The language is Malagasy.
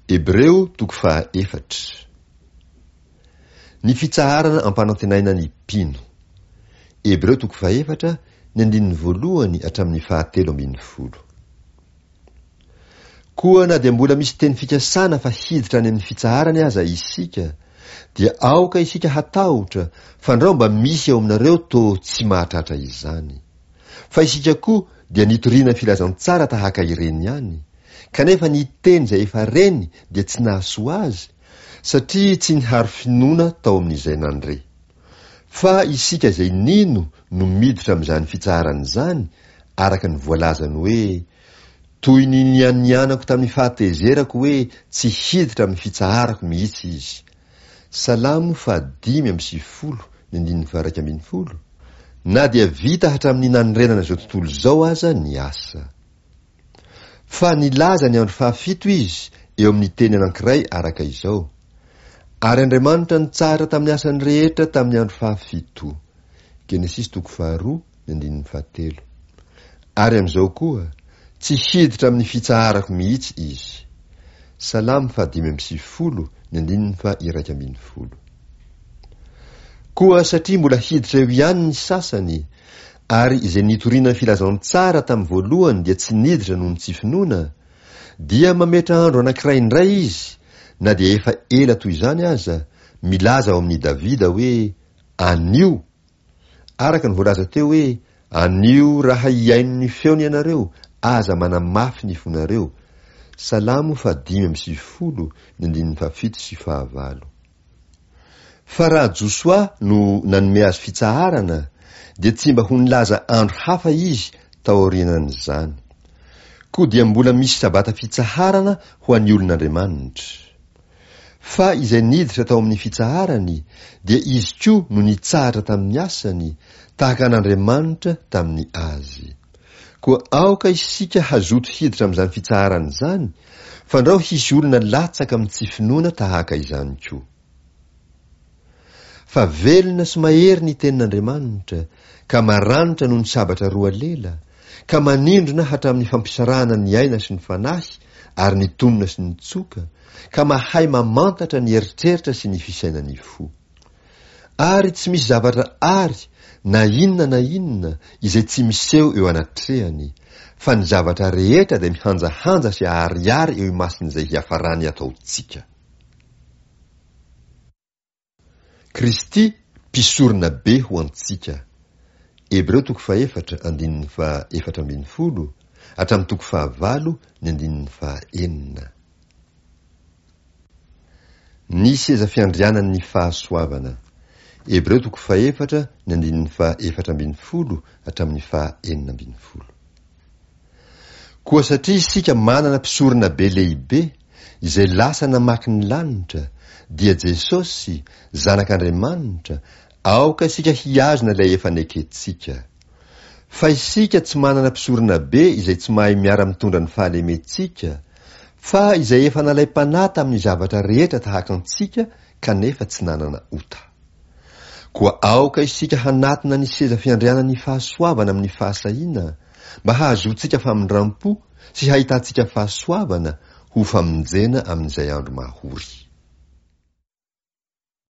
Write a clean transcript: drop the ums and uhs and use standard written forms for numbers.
Hebreo toko fahaefatra. Ny fitsaharana ampanantenaina ny mpino. Hebreo toko fahefatra, ny andininy voalohany hatramin'ny fahatelo ambin'ny folo. Koa na dia mbola misy teny fikasana fa hiditra any amin'ny fitsaharany aza isika, dia aoka isika hatahotra fandrao mba misy eo aminareo toa tsy mahatratra izany. Fa isika koa dia nitoriana filazantsara tahaka ireny ihany, kanefa ny teny izay efa reny dia tsy nahasoa azy, satria tsy niharo finoana tao amin'izay nandre. Fa isika izay nino no miditra amin'izany fitsaharana izany, araka ny voalazany hoe, Toy ny nianianako tamin'ny fahatezerako hoe tsy hiditra amin'ny fitsaharako mihitsy izy. Salamo faha-95 ny andininy faha-11, Na dia vita hatramin'ny nanorenana izao tontolo izao aza ny asa. Fa nilaza ny andro fahafito izy eo amin'ny teny anankiray araka izao, Ary Andriamanitra nitsahatra tamin'ny asany rehetra tamin'ny andro fahafito. Genesisy toko faharoa, ny andininy fahatelo. Ary amin'izao koa, tsy hiditra amin'ny fitsaharako mihitsy izy. Salamo faha-95, ny andininy faha-11. Koa satria mbola hiditra eo ihany ny sasany, ary izay nitoriana ny filazantsara tamin'ny voalohany dia tsy niditra noho ny tsy finoana, dia mametra andro anankiray indray izy, na dia efa ela toy izany aza, milaza ao amin'i Davida hoe, Anio! Araka ny voalaza teo hoe, Anio raha hihaino ny feony ianareo, aza manamafy ny fonareo. Salamo faha-95, ny andininy fahafito sy fahavalo. Fa raha Josoa no nanome azy fitsaharana, dia tsy mba ho nilaza andro hafa izy tao aorianan'izany. Koa dia mbola misy Sabata fitsaharana ho an'ny olon'Andriamanitra. Fa izay niditra tao amin'ny fitsaharany, dia izy koa no nitsahatra tamin'ny asany, tahaka an'Andriamanitra tamin'ny azy. Koa aoka isika hazoto hiditra amin'izany fitsaharana izany, fandrao hisy olona latsaka amin'ny tsy finoana tahaka izany koa. Fa velona sy mahery ny tenin'Andriamanitra, ka maranitra noho ny sabatra roa lela, ka manindrona hatramin'ny fampisarahana ny aina sy ny fanahy ary ny tonona sy ny tsoka, ka mahay mamantatra ny eritreritra sy ny fisainan'ny fo. Ary tsy misy zavatra àry na inona na inona izay tsy miseho eo anatrehany, fa ny zavatra rehetra dia mihanjahanja sy aharihary eo imason'izay hiafarany ataontsika. Kristy mpisorona be ho antsika. Hebreo toko fahefatra andininy faha-14 hatramin'ny toko fahavalo ny andininy faha-6. Ny seza fiandrianan' ny fahasoavana. Hebreo toko fahefatra ny andininy faha-14 hatramin'ny faha-16. Koa satria isika manana mpisorona be lehibe, izay lasa namaky ny lanitra, dia Jesosy, Zanak'Andriamanitra, aoka isika hihazona ilay efa nekentsika. Fa isika tsy manana mpisorona be izay tsy mahay miara-mitondra ny fahalementsika, fa izay efa nalaim-panahy tamin'ny zavatra rehetra tahaka antsika kanefa tsy nanana ota. Koa aoka isika hanatona ny seza fiandrianan'ny fahasoavana amin'ny fahasahiana, mba hahazoantsika famindram-po sy hahitantsika fahasoavana ho famonjena amin'izay andro mahory.